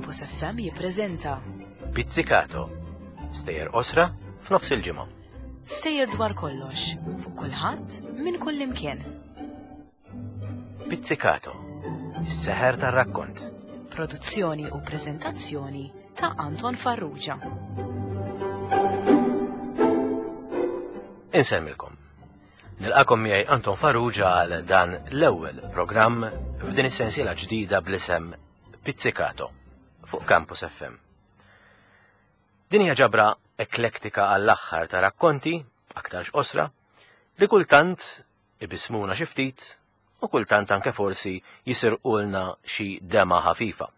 Campus FM jippreżenta Pizzicato, stejjer qosra f'nofs il-ġimgħa. Stejjer dwar kollox, fuq kulħadd, minn kull imkien. Pizzicato, is-seħer tar-rakkont. Produzzjoni u preżentazzjoni ta' Anton Farrugia. Insemmilkom. Nilqakom miegħi Anton Farrugia għal dan l-ewwel programm f'din is-sensiela ġdida bl-isem Pizzicato fuq Campus FM. Din hija ġabra eklektika għall-aħħar ta' rakkonti, aktarx qosra, li kultant ibismuna xi ftit u kultant anke forsi jisirqulna xi dema ħafifa.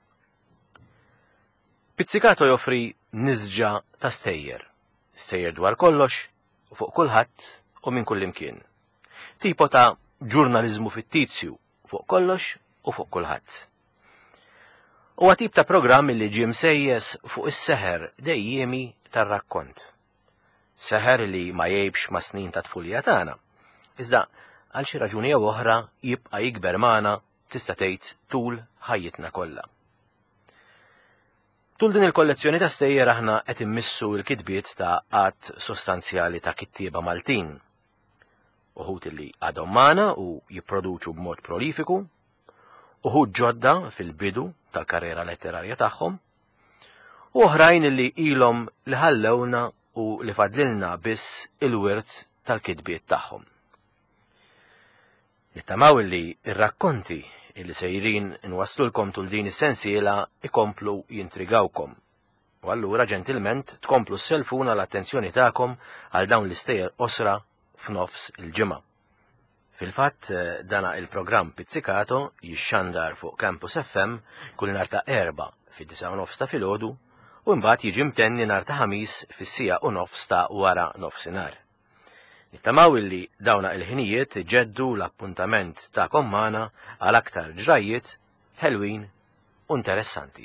Pizzicato joffri nisġa ta' stejjer, stejjer dwar kollox u fuq kulħadd u minn kullimkien. Tipo ta' ġurnaliżmu fittizju fuq kollox u fuq kulħadd. Huwa tip ta' programm li ġie msejjes fuq is-seħer dejjiemi tar-rakkont. Seħer li ma jgħibx ma' snin ta' tfulija tagħna, iżda għal xi raġuni jew oħra jibqa' jikber magħna tista' tgħid tul ħajjitna kollha. Tul din il-kollezzjoni ta' stejjer aħna qed immissu l-kitbiet ta' għadd sostanzjali ta' kittieba Maltin. Uħud li għadhom magħna u jipproduċu b'mod prolifiku, uħud ġodda fil-bidu tal-karriera letterarja tagħhom, u oħrajn li ilhom li ħallewna u li fadlilna biss il-wirt tal-kitbiet tagħhom. Nittamaw li r-rakkonti li sejrin nwasslulkom tul din is-sensiela ikomplu jintrigawkom. U allura ġentilment tkomplu sselfuna l-attenzjoni tagħkom għal dawn l-istejjer qosra f'nofs il-ġimgħa. Fil-fatt dana il-programm Pizzicato jixxandar fuq Campus FM kull nhar ta' Erbgħa fid-disgħa u nofs ta' filgħodu u imbagħad jiġi mtenni nhar ta' Ħamis fis-siegħa u nofs ta' wara nofsinhar. Nittamaw illi dawna il-ħinijiet iġeddu l-appuntament tagħkom magħna għal aktar ġrajjiet ħelwin u interessanti.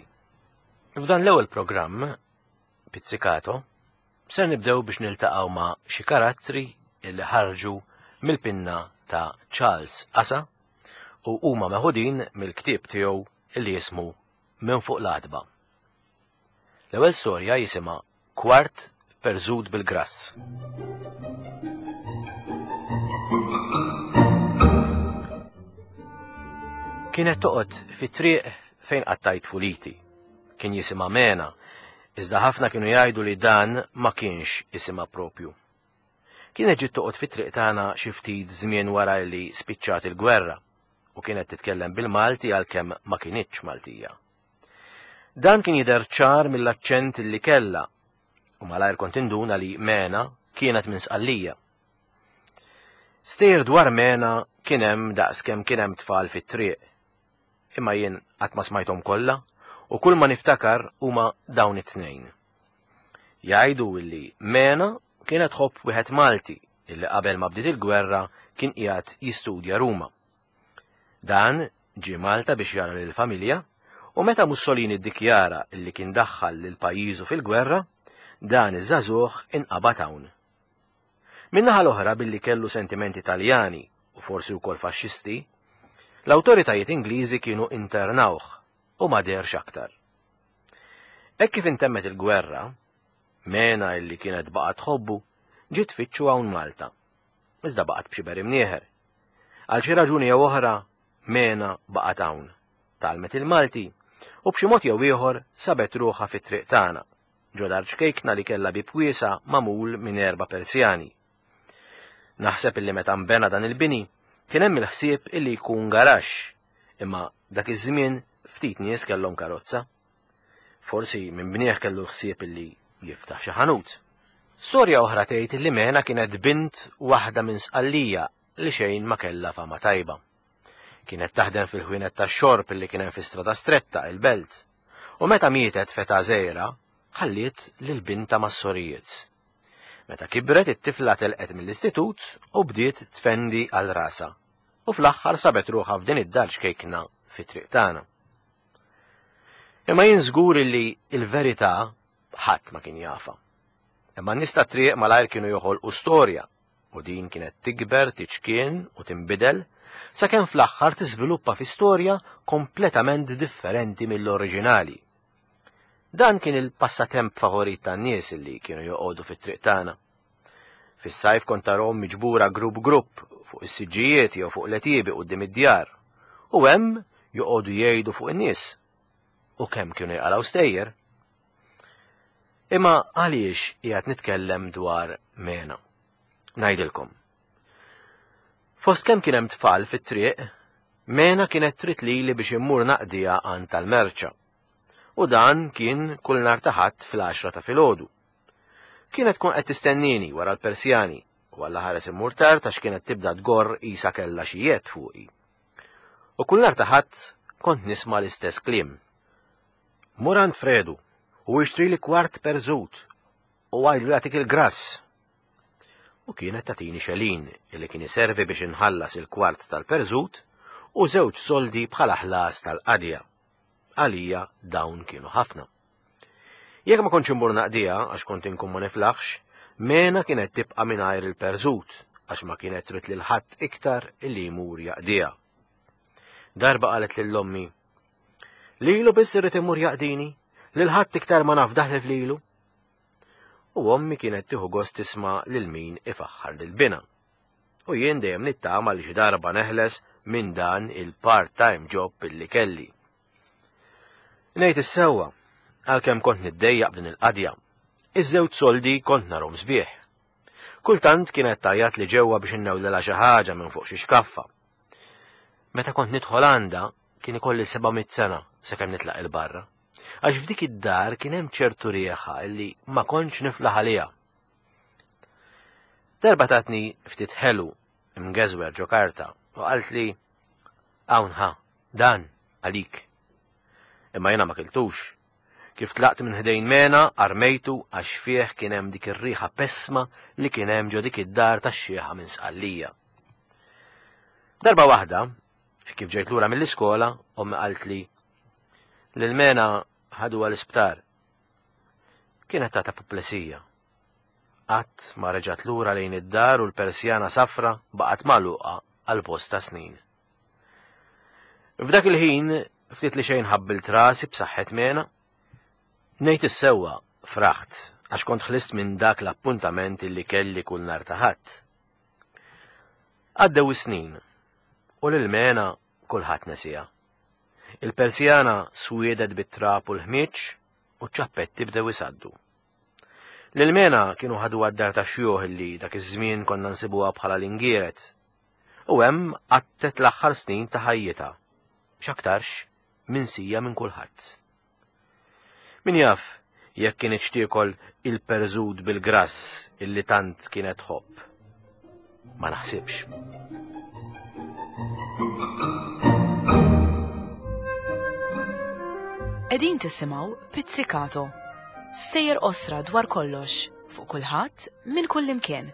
F'dan l-ewwel programm, Pizzicato, ser nibdew biex niltaqgħu ma' xi karattri illi ħarġu mill-pinna ta' Charles Asa u huma meħudin mill-ktieb tiegħu illi jismu Minn fuq l-għatba. L-ewwel storja jisimha Kwart perżut bil-grass. Kienet toqgħod fit-triq fejn qattajt tfuliti. Kien jisimha Mena, iżda ħafna kienu jgħidu li dan ma kienx isimha propju. Kienet ġiet toqgħod fit-triq tagħna xi ftit żmien wara li spiċċat il-gwerra u kienet titkellem bil-Malti għalkemm ma kinitx Maltija. Dan kien jidher ċar mill-aċċent li kellha u malajr kont induna li Mena kienet minn Sqallija. Stejjer dwar Mena kien hemm daqs kemm kien hemm tfal fit-triq. Imma jien qatt ma smajthom kollha u kull ma niftakar huma dawn it-tnejn. Jgħidu illi Mena kienet tħobb wieħed Malti illi qabel ma bdiet il-gwerra kien qiegħed jistudja Ruma. Dan ġie Malta biex jara lill-familja u meta Mussolini ddikjara li kien daħħal lil pajjiżu fil-gwerra, dan iż-żagħżugħ inqabad hawn. Min-naħa l-oħra billi kellu sentimenti Taljani u forsi wkoll faxxisti, l-awtoritajiet Ingliżi kienu internawh u ma deherx aktar. Hekk kif intemmet il-gwerra, Mena illi kienet baqgħet tħobbu ġiet tfittxu hawn Malta. Iżda baqgħet b'xiber imnieħer. Għal xi raġuni jew oħra, Mena baqgħet hawn. Tgħallmet il-Malti u b'xi mod jew ieħor sabet ruħha fit-triq tagħna, ġo dar ċkejkna li kellha bieb wiesa' magħmul minn erba' persjani. Naħseb illi meta nbena dan il-bini kien hemm il-ħsieb illi jkun garaxx, imma dak iż-żmien ftit nies kellhom karozza. Forsi min bnieh kellu l-ħsieb illi jiftaħ xi ħanut. Storja oħra tgħid li Mena kienet bint waħda minn Sqallija li xejn ma kellha fama tajba. Kienet taħdem fil-ħwienet tax-xorb li kien hemm fi Strada Stretta, il-Belt. U meta mietet f'età żgħira, ħalliet lil bintha mas-sorijiet. Meta kibret it-tifla telqet mill-istitut u bdiet tfendi għal rasha. U fl-aħħar sabet ruħha f'din id-dar ċkejkna fit-triq tagħna. Imma jien żgur li l-verità ħadd ma kien jafha. Imma n-nies tat-triq malajr kienu joħolqu storja u din kienet tikber, tiċkien u tinbidel sakemm fl-aħħar tiżviluppa fi storja kompletament differenti mill-oriġinali. Dan kien il-passatemp favorit tan-nies li kienu joqogħdu fit-triq tagħna. Fis-sajf kont tarahom miġbura grupp grupp fuq is-siġġijiet jew fuq l-għetiebi quddiem id-djar. U hemm joqogħdu jgħidu fuq in-nies. U kemm kienu jqalgħu stejjer. Imma għaliex qiegħed nitkellem dwar Mena? Ngħidilkom. Fost kemm kien hemm tfal fit-triq, Mena kienet trid lili biex immur naqdiha għand tal-merċa. U dan kien kull nhar ta' Ħadd fl-għaxra ta' filgħodu. Kienet tkun qed tistennini wara l-persjani u Alla ħares immur tard għax kienet tibda tgorr qisha kellha xi jedd fuqi. U kull nhar ta' Ħadd kont nisma' l-istess kliem. Mur għand Fredu u ixtrili kwart perżut u għidlu jagħtik il-grass. U kienet tagħtini xelin li kien iservi biex inħallas il-kwart tal-perżut u żewġ soldi bħala ħlas tal-qadja. Għalija dawn kienu ħafna. Jekk ma kontx immur naqdiha għax kont inkun ma niflaħx, Mena kienet tibqa' mingħajr il-perżut għax ma kienet trid lil ħadd iktar illi jmur jaqdiha. Darba qalet lil ommi, Lilu biss irrid imur jaqdini, lil ħadd iktar ma naf daħlef lilu. U ommi kienet tieħu gost tisma' lil min ifaħħar lil binha. U jien dejjem nittama li xi darba neħles minn dan il-part-time job illi kelli. Ngħid is-sewwa, għalkemm kont niddejjaq b'din il-qadja, iż-żewġ soldi kont narhom sbieħ. Kultant kienet tgħajjat li ġewwa biex innewlilha xi ħaġa minn fuq xi xkaffa. Meta kont nidħol għandha kien ikolli 700 sena sakemm nitlaq il-barra. Għax f'dik id-dar kien hemm ċertu rieħa illi ma kontx niflaħ għaliha. Darba tatni ftit ħelu mgeżwer ġo karta u qaltli hawn ħa, dan għalik. Imma jiena ma kiltux. Kif tlaqt minn ħdejn Mena armejtu għax fih kien hemm dik ir-riħa pessma li kien hemm ġo dik id-dar tax-xieħa minn Sqallija. Darba waħda, kif ġejt lura mill-iskola, ommi qaltli lil Mena ħaduha l-isptar. Kienet tata puplesija. Qatt ma reġgħet lura lejn id-dar u l-persjana safra baqgħet magħluqa għal bosta snin. F'dak il-ħin, ftit li xejn ħabbilt rasi b'saħħet mena. Ngħid is-sewwa fraħt għax kont ħlist minn dak l-appuntament illi kelli kull nhar ta' Ħadd. Għaddew is-snin u lil Mena kulħadd nesiha. Il-persjana swiedet bit-trab u l-ħmieġ u ċ-ċappetti bdew isaddu. Lil Mena kienu ħaduha d-dar tax-xjuħ illi dak iż-żmien konna nsibuha bħala l-ingieret. U hemm qattet l-aħħar snin ta' ħajjitha, x'aktarx minsija minn kulħadd. Min jaf jekk kinitx tiekol il-perżut bil-grass illi tant kienet tħobb. Ma naħsibx. Qegħdin tisimgħu Pizzicato. Stejjer qosra dwar kollox, fuq kulħadd, minn kullimkien,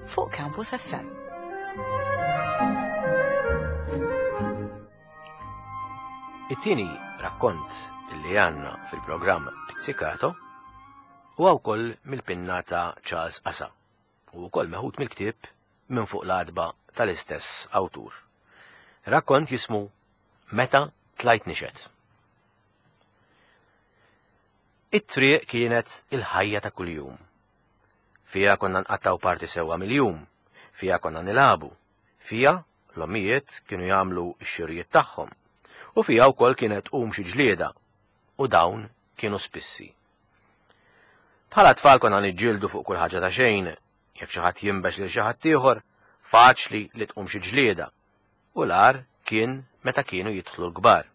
fuq Campus FM. It-tieni rakkont li għandna fil-programm Pizzicato huwa wkoll mill-pinna ta' Charles Asa u wkoll meħud mill-ktieb Minn fuq l-għatba tal-istess awtur. Rakkont jismu Meta tlajt nixed. It-triq kienet il-ħajja ta' kuljum. Fiha konna nqattgħu parti sewwa mill-jum, fiha konna nilagħbu, fiha l-ommijiet kienu jagħmlu x-xirjiet tagħhom, u fiha wkoll kienet tqum xi ġlieda, u dawn kienu spissi. Bħala tfal konna niġġieldu fuq kull ħaġa ta' xejn, jekk xi ħadd jinbex lil xi ħadd ieħor, faċli li tqum xi ġlieda, u l-agħar kien meta kienu jidħlu l-kbar.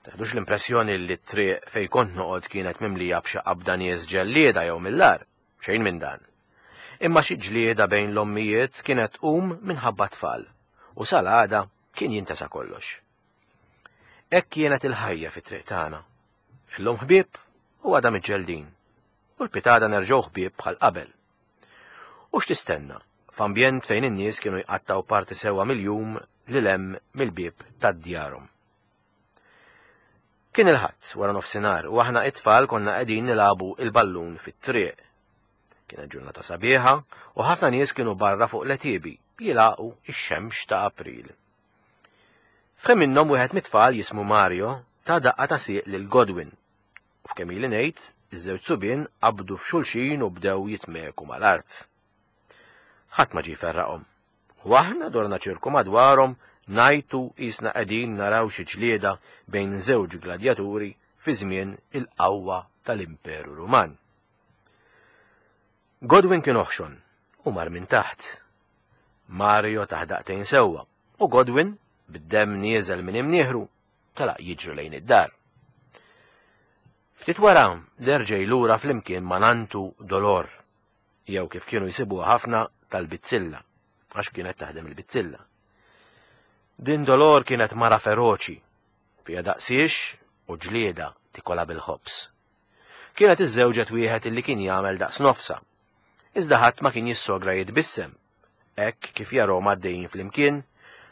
Teħdux l-impressjoni li t-triq fejn kont noqgħod kienet mimlija b'xi qabda nies ġellieda jew mill-agħar, xejn minn dan. Imma xi ġlieda bejn l-ommijiet kienet tqum minħabba t-tfal, u sal-għada kien jintesa kollox. Hekk kienet il-ħajja fit-triq tagħna. Illum ħbieb u għada miġġeldin. U l-pitada nerġgħu ħbieb bħal qabel. U x'tistenna f'ambjent fejn in-nies kienu jqattgħu parti sewwa mill-jum lil hemm mill-bieb ta' djarhom. Kien il-Ħadd wara nofsinhar u aħna it-tfal konna qegħdin nilagħbu il-ballun fit-triq. Kienet ġurnata sabiħa u ħafna nies kienu barra fuq l-għetiebi jilagħqu ix-xemx ta' April. F'ħin minnhom wieħed mit-tfal jismu Mario ta daqqa ta' sieq lil Godwin. F'kemm ili ngħid, iż-żewġ subien qabdu f'xulxin u bdew jitmeku mal-art. Ħadd ma ġie jferraqhom. U aħna dorna ċirku madwarhom ngħajtu qisna qegħdin naraw xi ġlieda bejn żewġ gladjaturi fi żmien il-qawwa tal-Imperu Ruman. Godwin kien oħxon u mar minn taħt. Mario taħ daqtejn sewwa u Godwin, bid-demm nieżel minn imnieħru, telaq jiġri lejn id-dar. Ftit wara derġej lura flimkien ma' nantu Dolor, jew kif kienu jsibuha ħafna tal-bizzilla, għax kienet taħdem il-bizzilla. Din Dolor kienet mara feroċi, fiha daqsiex u ġlieda tikola bil-ħobż. Kienet iżżewġet wieħed illi kien jagħmel daqs nofsa. Iżda ħadd ma kien jissogra jitbissem, hekk kif jarahom għaddejjin flimkien,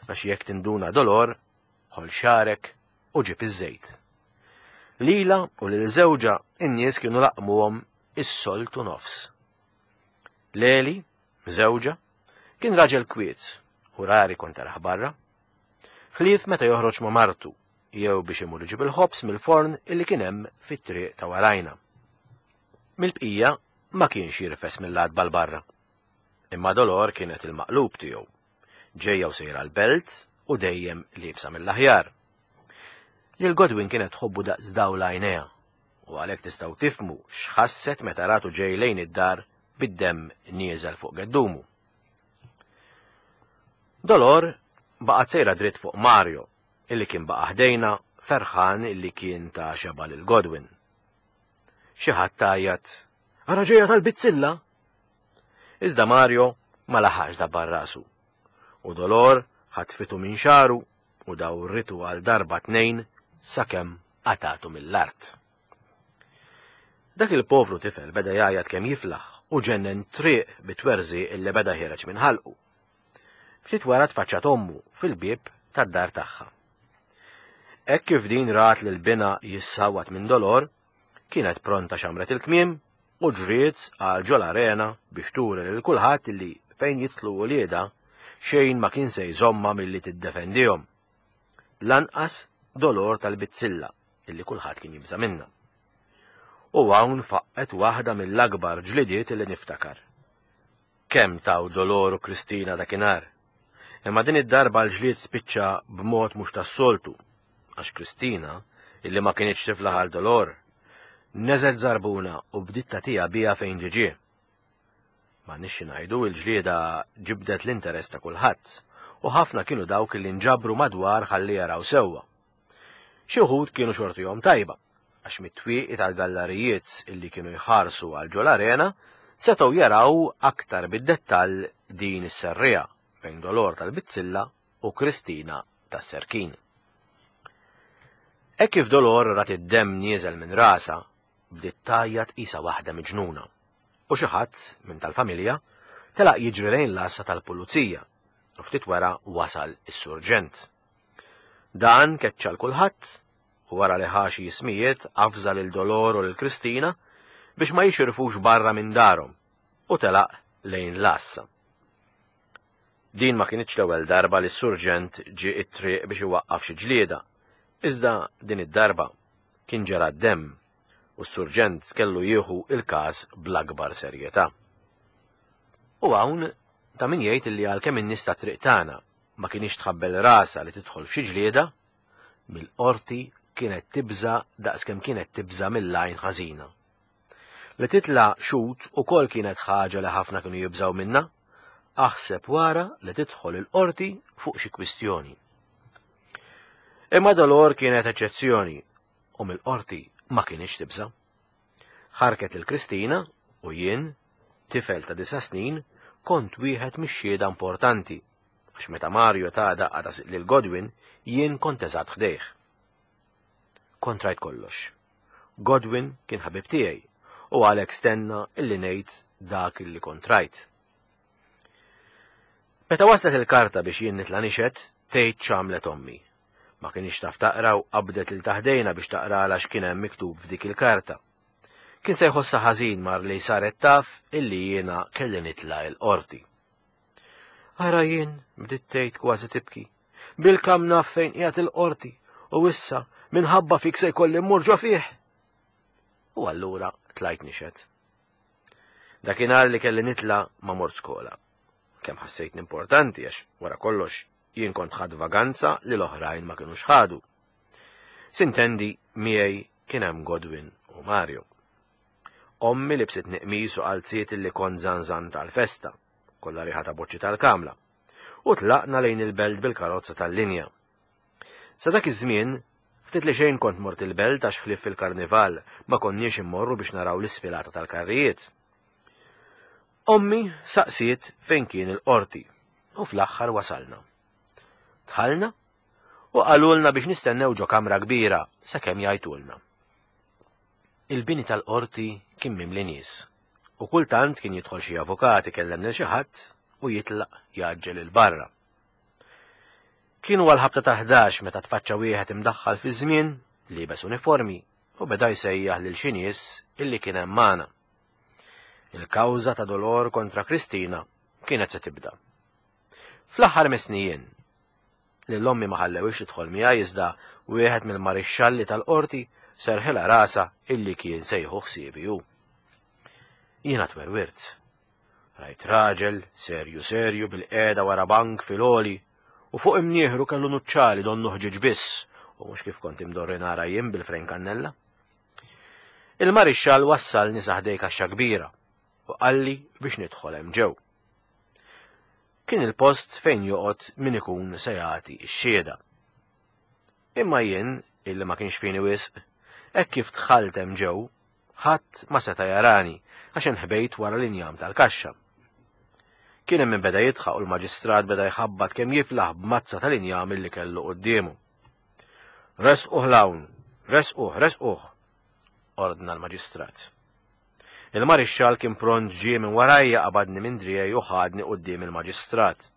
għax jekk tinduna Dolor, ħoll xagħrek u ġib iż-żejt. Lilha u lil żewġha in-nies kienu laqmuhom is-soltu nofs. Leli, żewġha, kien raġel kwiet u rari kont tarah barra. Ħlief meta joħroġ ma' martu jew biex imur iġib il-ħobż mill-forn illi kien hemm fit-triq ta' warajna. Mill-bqija ma kienx jirfes mill-għatba 'l barra. Imma Dolor kienet il-maqlub tiegħu. Ġejja u sejra l-belt u dejjem liebsa mill-aħjar. Lil Godwin kienet tħobbu daqs dawl għajnejha u għalhekk tistgħu tifhmu x'ħasset meta ratu ġej lejn id-dar bid-demm nieżel fuq geddumu. Dolor baqgħet sejra dritt fuq Mario illi kien baqa' ħdejna ferħan illi kien ta xeba lil Godwin. Xi ħadd tgħajjat, Ara ġejja tal-bizzilla! Iżda Mario ma laħaqx dabbar rasu. U Dolor ħatfitu minn xagħru u dawritu għal darba tnejn sakemm qatgħatu mill-art. Dak il-povru tifel beda jgħajjat kemm jiflaħ u ġennen triq bit-twerżiq illi beda ħiereġ minn ħalqu. Ftit wara tfaċċat ommu fil-bieb tad-dar tagħha. Hekk kif din rat lil binha jissawwat minn dolor, kienet pronta xamret il-kmiem u ġriet għal ġol-arena biex turi lil kulħadd li fejn jidħlu uliedha xejn ma kien se jżommha milli tiddefendihom. Lanqas dolor tal-bizzilla illi kulħadd kien jibża' minnha. U hawn faqqgħet waħda mill-akbar ġlidiet illi niftakar. Kemm taw Dolor u Kristina dakinhar! Imma din id-darba l-ġlied spiċċa b'mod mhux tas-soltu, għax Kristina, illi ma kinitx tiflaħ għal Dolor, neżgħet żarbuna u bdiet tagħtiha biha fejn ġie ġie. M'għandniex xi ngħidu, il-ġlieda ġibdet l-interess ta' kulħadd, u ħafna kienu dawk illi nġabru madwar ħalli jaraw sewwa. Xi wħud kienu xortihom tajba, għax mit-twieqi tal-gallarijiet illi kienu jħarsu għal ġol-arena setgħu jaraw aktar bid-dettall din is-serriegħa bejn Dolor tal-Bizzilla u Kristina tas-Serkin. Hekk kif Dolor rat id-demm nieżel minn rasha, bdiet tgħajjat qisha waħda miġnuna. U xi ħadd minn tal-familja telaq jiġri lejn l-għassa tal-pulizija u ftit wara wasal is-surġent. Dan keċċa 'l kulħadd u wara li ħa xi ismijiet avża lil Dolor u lil Kristina biex ma jixirfux barra minn darhom u telaq lejn l-għassa. Din ma kinitx l-ewwel darba li s-surġent ġie t-triq biex iwaqqaf xi ġlieda, iżda din id-darba kien ġera d-demm u s-surġent kellu jieħu l-każ bl-akbar serjetà. U hawn ta' min jgħid li għalkemm in-nies tat-triq tagħna ma kinitx tħabbel rasha li tidħol f'xi ġlieda, mill-qorti kienet tibża' daqskemm kienet tibża' mill-għajn ħażina. Li titla' xhud ukoll kienet ħaġa li ħafna kienu jibżgħu minnha, aħseb wara li tidħol il-qorti fuq xi kwistjoni. Imma Dolor kienet eċċezzjoni u mill-qorti ma kinitx tibża'. Ħarket lil Kristina u jien, tifel ta' disa' snin, kont wieħed mix-xhieda importanti, għax meta Mario ta daqqa ta' lil Godwin, jien kont eżatt ħdejh. Kont rajt kollox. Godwin kien ħabib tiegħi u għalhekk stenna illi ngħid dak illi kont rajt. Meta waslet il-karta biex jien nitla' nixhed, tgħid x'għamlet ommi. Ma kinitx taf taqra u qabdet lil ta' ħdejna biex taqralha x'kien hemm miktub f'dik il-karta. Kien se jħossha ħażin mar li saret taf illi jiena kelli nitla' il-qorti. Ara jien, bdiet tgħid kważi tibki, bil-kam naf fejn qiegħed il-qorti u issa minħabba fik se jkolli mmur ġo fih. U allura tlajt nixed. Dakinhar li kelli nitla' ma mort skola. Kemm ħassejtni importanti għax wara kollox jien kont ħadt vaganza li l-oħrajn ma kinux ħadu. Sintendi miegħi kien hemm Godwin u Mario. Ommi libsitni qmis u qalziet illi kont żanżant għall-festa, kollha riħa ta' boċċi tal-kamla, u tlaqna lejn il-belt bil-karozza tal-linja. Sa dak iż-żmien, ftit li xejn kont mort il-belt għax ħlief fil-karnival ma konniex immorru biex naraw l-isfilata tal-karrijiet. Ommi saqsiet fejn kien il-qorti u fl-aħħar wasalna. Dħalna u qalulna biex nistennew ġo kamra kbira sakemm jgħajtulna. Il-bini tal-qorti kien mimli nies u kultant kien jidħol xi avukat ikellem lil xi ħadd u jitlaq jgħaġġel 'il barra. Kienu għall-ħabta ta' 11 meta tfaċċa wieħed imdaħħal fiż-żmien, liebes uniformi u beda jsejjaħ lil xi nies illi kien hemm magħna. Il-kawża ta' Dolor kontra Kristina kienet se tibda. Fl-aħħar messni jien. Lil ommi ma ħallewhiex tidħol miegħi iżda wieħed mill-marixxalli tal-qorti serħilha rasha illi kien se jieħu ħsiebi hu. Jiena twerwirt. Rajt raġel, serju serju bil-qiegħda wara bank fil-għoli u fuq imnieħru kellu nuċċali donnu ħġieġ biss u mhux kif kont imdorri nara jien bil-frejn kannella. Il-marixxall wassalni sa ħdej kaxxa kbira u qalli biex nidħol hemm ġew. Kien il-post fejn joqgħod min ikun se jagħti x-xhieda. Imma jien, illi ma kienx fini wisq, hekk kif dħalt hemm ġew, ħadd ma seta' jarani għax inħbejt wara l-injam tal-kaxxa. Kien hemm min beda jidħaq u l-maġistrat beda jħabbat kemm jiflaħ b'mazza tal-injam illi kellu quddiemu. Resquh 'l hawn! Resquh! Resquh! ordna l-maġistrat. Il-marixxall kien pront ġie minn warajja qabadni minn driegħi u ħadni quddiem il-maġistrat.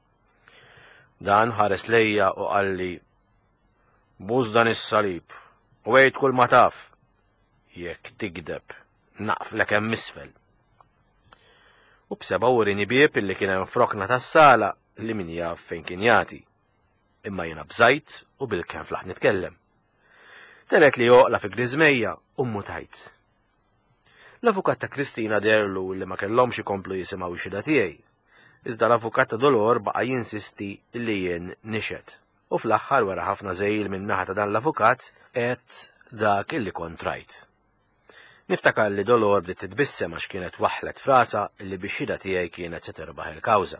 Dan ħares lejja u qalli, Bus dan is-salib u għid kull ma taf. Jekk tigdeb, naqflek hemm isfel. U b'seba' urini bieb illi kien hemm f'rokna tas-sala li min jaf fejn kien jagħti. Imma jiena bżajt u bilkemm flaħt nitkellem. Telet li joqla fi griżmejja u mmutajt. L-avukat ta' Kristina deherlu li ma kellhomx ikomplu jisimgħu x-xhieda tiegħi. Iżda l-avukat ta' Dolor baqa' jinsisti li jien nixhed. U fl-aħħar wara ħafna żegħil min-naħa ta' dan l-avukat għedt dak illi kont rajt. Niftakar li Dolor bdiet titbissem għax kienet waħħlet f'rasha li bix-xhieda tiegħi kienet se tirbaħ il-kawża.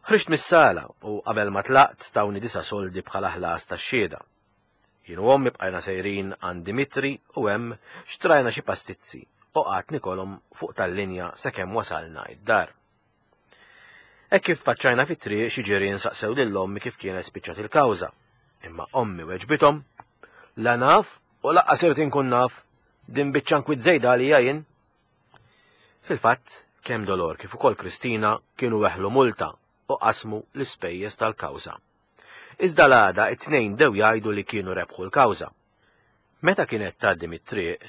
Ħriġt mis-sala u qabel ma tlaqt tawni disa' soldi bħala ħlas tax-xhieda. Jien u ommi bqajna sejrin għand Dimitri u hemm xtrajna xi pastizzi u qgħadt nikolhom fuq tal-linja sakemm wasalna id-dar. Hekk kif tfaċċajna fit-triq xi ġirien saqsew lil ommi kif kienet spiċċat il-kawża. Imma ommi weġbithom, La naf u laqqas irid inkun naf, din biċċa nkwiet żejda għalija jien. Fil-fatt, kemm Dolor kif ukoll Kristina kienu weħlu multa u qasmu l-ispejjeż tal-kawża. Iżda l-għada it-tnejn bdew jgħidu li kienu rebħu l-kawża. Meta kienet tgħaddi mit-triq,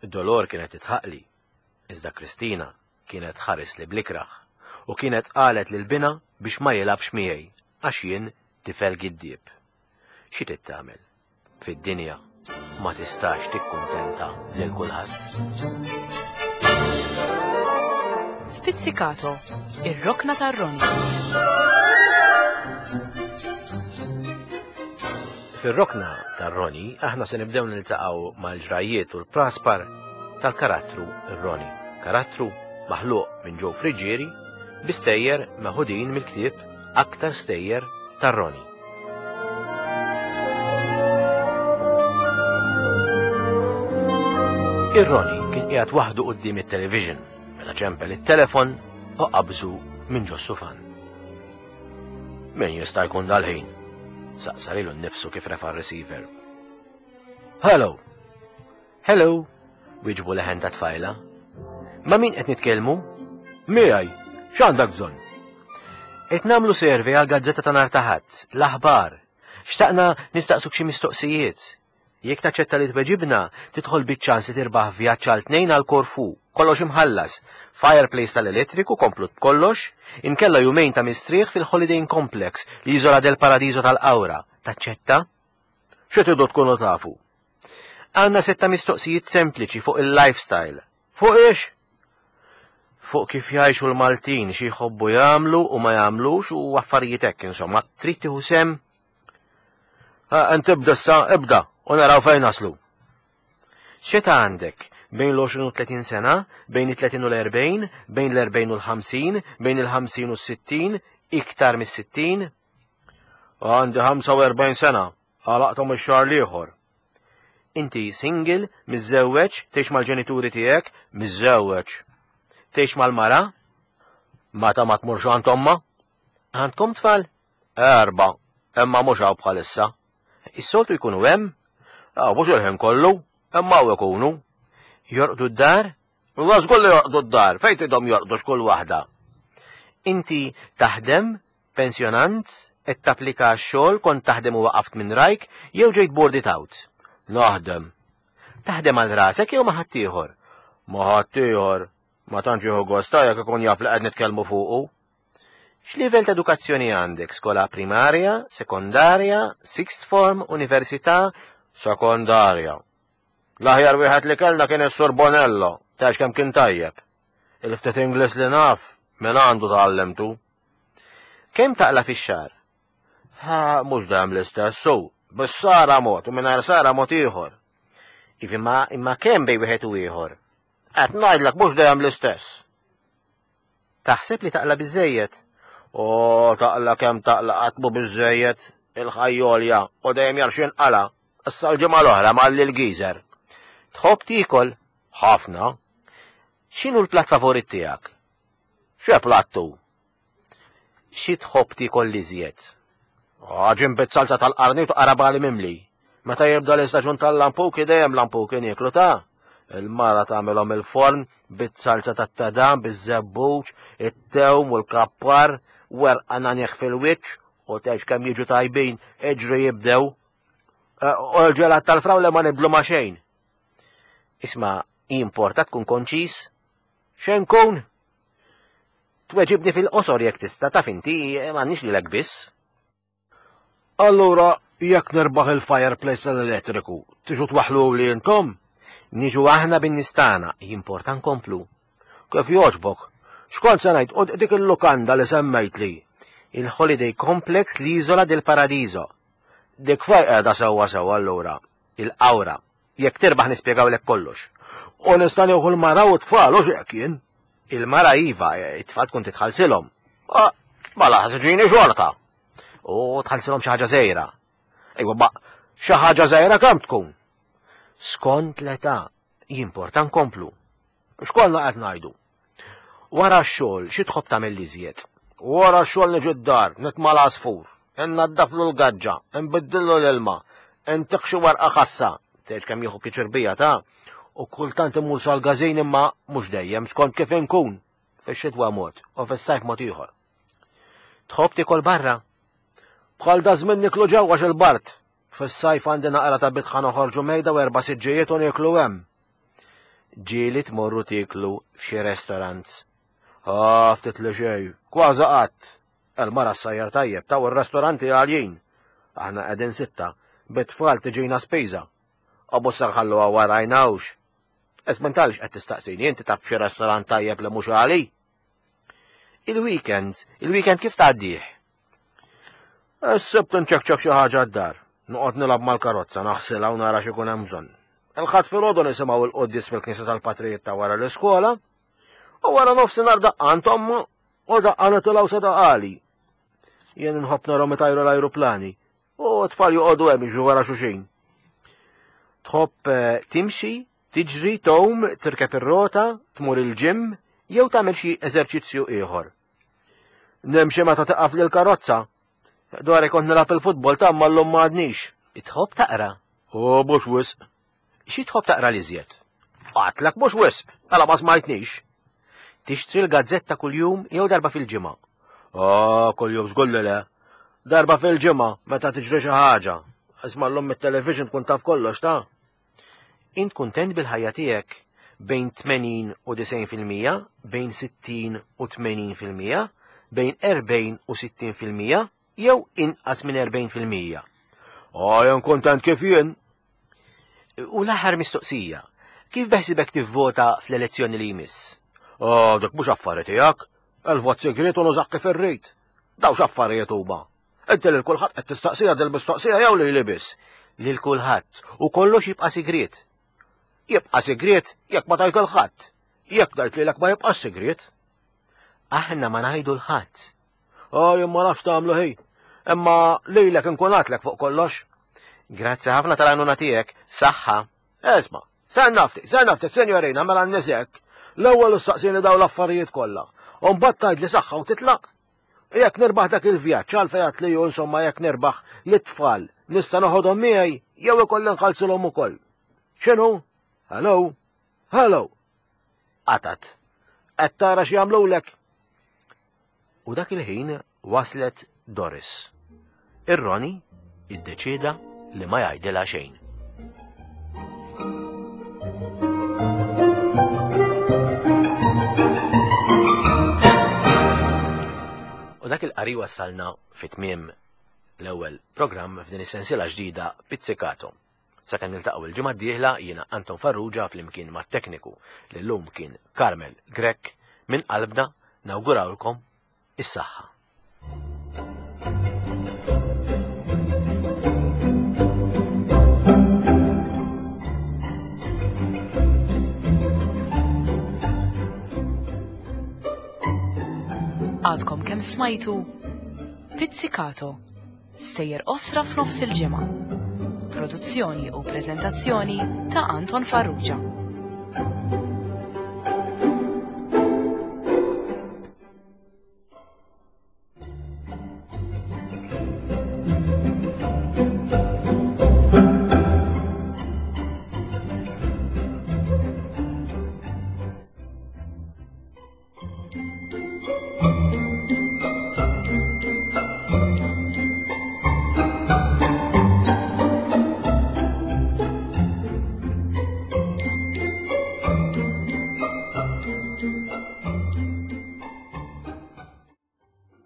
Dolor kienet tidħaqli, iżda Kristina kienet tħarisli bl-ikrah u kienet qalet lil binha biex ma jilgħabx miegħi għax jien tifel giddieb. Xi trid tagħmel? Fid-dinja ma tistax tikkuntenta lil kulħadd. F'Pizzicato, ir-rokna tar-Roni. Fir-rokna tar-Roni aħna se nibdew niltaqgħu mal-ġrajjiet u l-praspar tal-karattru Roni. Karattru maħluq minn Joe Friggieri bi stejjer meħudin mill-ktieb Aktar Stejjer tar-Roni. Ir-Roni kien qiegħed waħdu quddiem it-television meta ċempel it-telefon u qabżu minn ġo sufan. Min jista' jkun dal-ħin? Saqsa lilu nnifsu kif refa' r-receiver. Hello! Hello! Wieġbu leħen ta' tfajla. Ma' min qed nitkellmu? Miegħi, x'għandek bżonn? Qed nagħmlu survey għal gazzetta ta' nhar ta' Ħadd, l-aħbar. Xtaqna nistaqsuk xi mistoqsijiet. Jekk taċċetta li tweġibna, tidħol biċ-ċans li tirbaħ vjaġġ għal tnejn għal Korfu, kollox imħallas, fireplace tal-elettriku komplut b'kollox, inkella jumejn ta' mistrieħ fil-Holiday Inn Complex, l-Isola del Paradiso tal-Qawra. Taċċetta? Xi tridu tkunu tafu? Għandna setta mistoqsijiet sempliċi fuq il-lifestyle. Fuq ix? Fuq kif jgħixu l-Maltin, xi jħobbu jagħmlu u ma jagħmlux u affarijiet hekk insomma. Trid tieħu sem? Ent ibda issa, ibda, u naraw fejn naslu. X'età għandek? Bejn l-20 u 30 sena, bejn it-30 u l-40, bejn l-40 u l-50, bejn il-50 u s-60, iktar mis-60? Għandi 45 sena, għalaqthom ix-xahar l-ieħor. Inti single, miżżewweġ, tgħix mal-ġenituri tiegħek, miżżewweġ. Tgħix mal-mara? Meta ma tmurx għand omma? Għandkom tfal? Erbgħa, imma mhux hawn bħalissa. Is-soltu jkunu hemm? Ah, mhux il-ħin kollu, imma hawn ikunu. Jorqdu d-dar? La żgur li jorqdu d-dar, fejn tidhom jorqdu x'kull waħda. Inti taħdem, pensjonant, qed tapplika għax-xogħol, kont taħdem u waqaft minn rajk, jew ġejt boarded out? Naħdem. Taħdem għal rasek jew ma' ħaddieħor? Ma' ħaddieħor. Ma tantx jieħu gost ta' jekk ikun jaf li qed nitkellmu fuqu. X'livell ta' edukazzjoni għandek? Skola primarja, sekondarja, sixth form, università? Sekondarja. L-aħjar wieħed li kellna kien is-Sur Bonello, tgħix kemm kien tajjeb. Il-ftit Ingliż li naf, minn għandu tgħallimtu. Kemm taqla' fix-xahar? Ha, mhux dejjem l-istess, su, bis-sara mod u mingħajr sara mod ieħor. Ivi ma imma kemm bejn wieħed u ieħor? Qed ngħidlek mhux dejjem l-istess. Taħseb li taqla' biżejjed? O, taqla' kemm taqla' qatt mhu biżejjed, il-ħajjolja u dejjem jar x'inqala'. Issa l-ġimgħa l-oħra malli l-geezer. Tħobb tiekol? Ħafna. X'inhu l-platt favorit tiegħek? X'e plattu? Xi tħobb tiekol l-iżjed? Għaġin bit-salza tal-qarnit u qarabali mimli. Meta jibda l-istaġun tal-lampuki dejjem lampuki nieklu ta' Il-mara tagħmilhom il-forn bit-salza tat-tadam, biż-żebbuġ, it-tewm u l-kappar, werqa nanjeħ fil-wiċċ u tgħix kemm jiġu tajbin, iġri jibdew. Eh, u l-ġelat tal-frawle ma nibdlu ma xejn. Isma' jimporta tkun konċis? Xejn kun? Tweġibni fil-qosor jekk tista' taf inti m'għandniex lilek biss. Allura jekk nirbaħ il-fireplace tal-elettriku, tiġu twaħħlu li intom? Niġu aħna bin-nies tagħna, jimporta nkomplu. Kif jogħġbok? X'kont se ngħid u dik il-lukanda li semmejtli? Il-Holiday Complex l-Isola del Paradiso. Dik fejn qiegħda sewwa sewwa allura? Il-Qawra. Jekk tirbaħ nispjegawlek kollox. U nista' nieħu l-mara u t-tfal u x'hekk jien. Il-mara iva, it-tfal tkun titħallsilhom. Ah, mela tiġini xorta. U tħallsilhom xi ħaġa żgħira. Ejwa, ma xi ħaġa żgħira kemm tkun? Skont l-età, jimporta nkomplu. X'kollna qed ngħidu? Wara x-xogħol xi tħobb tagħmel l-iżjed? Wara x-xogħol niġi d-dar, nitma' l-għasfur, innaddaflu l-gaġġa, inbiddillu l-ilma, intih xi warqa ħassa, tgħidx kemm jieħu pjaċir bija ta' u kultant imur sal-gażin imma mhux dejjem skont kif inkun. Fix-xitwa mod u fis-sajf mod ieħor. Tħobb tiekol barra? Bħal da żmien niklu ġewwa xil-bard. Fis-sajf għandi naqra ta' bitħa noħorġu mejda u erba' siġġijiet u nieklu hemm. Ġieli tmorru tieklu f'xi restaurants. Ah, ftit li xejn, kważi qatt. Il-mara ssajjar tajjeb, taw ir-restoranti għaljin. Aħna qegħdin sitta, bit-tfal tiġina spiża. U mhux se nħalluha warajna hux. Isma' għaliex qed tistaqsini, inti taf xi restorant tajjeb li mhux għali? Il-weekends, il-weekend kif tgħaddih? Is-Sibt nċekċek xi ħaġa d-dar. Noqgħod nilgħab mal-karozza, naħsilha u nara x'ikun hemm bżonn. Il-Ħadd filgħodu nisimgħu l-quddies fil-knisja tal-patrijiet ta' wara l-iskola, u wara nofsinhar daqqa għand omma u daqqa nitilgħu sa daqali. Jien inħobb narhom itajru l-ajruplani u t-tfal joqogħdu hemm jiġru wara xulxin. Tħobb eh, timxi, tiġri, tgħum, tirkeb ir-rota, tmur il-ġim jew tagħmel xi eżerċizzju ieħor. Nimxi meta taqaf lil karozza. Dwar kont nilgħab il-futbol ta' ma llum m'għadnix. Tħobb taqra? U mhux wisq. Xi tħobb taqra l-iżjed? Għatlek mhux wisq, mela ma smajtnix. Tixtri l-gazzetta kuljum jew darba fil-ġimgħa? Ah, kuljum żgur li le. Darba fil-ġimgħa meta tiġri xi ħaġa. Isma' llum mit-television tkun taf kollox ta'. Int kuntent bil-ħajja tiegħek bejn 80 u 90%, bejn 60 u 80%, bejn 40 u 60% jew inqas minn 40%. Ah, jien kuntent kif jien. U l-aħħar mistoqsija, kif beħsibek tivvota fl-elezzjoni li jmiss? Oh, dak mhux affari tiegħek. Il-vot segret u nużak kif irrid. Daw x'affarijiet huma. Inti lil kulħadd qed tistaqsija dil-mistoqsija jew lili biss? Lil kulħadd u kollox jibqa' sigriet. Jibqa' sigriet jekk ma tgħid il-ħadd. Jekk ngħid lilek ma jibqax sigriet. Aħna ma ngħidu l-ħadd. Oh, jien ma nafx tagħmlu ħi. Imma lilek inkun għatlek fuq kollox. Grazzi ħafna tal-għajnuna tiegħek, saħħa. Esma, sen nafti, sen nafti, senjorina, mela n-nisek. L-ewwel saqsini daw l-affarijiet kollha. U mbagħad tgħid li saħħa u titlaq. Jekk nirbaħ dak il-vjaġġ għalfejn għad li insomma jekk nirbaħ lit-tfal nista' noħodhom miegħi jew ikolli nħallsilhom ukoll. X'inhu? Hello? Hello? Qatat. Qed tara x'jagħmlulek? U dak il-ħin waslet Doris. Ir-Roni iddeċieda li ma jgħidilha xejn. U dak il-qari wassalna fit-tmiem l-ewwel programm f'din is-sensiela ġdida Pizzicato. Sakemm niltaqgħu il-ġimgħa d-dieħla jiena Anton Farrugia flimkien mat-tekniku li llum kien Carmel Grech minn qalbna nawgurawlkom is-saħħa. Għadkom kemm smajtu Pizzicato Stejjer qosra f'nofs il-ġimgħa. Produzzjoni u preżentazzjoni ta' Anton Farrugia.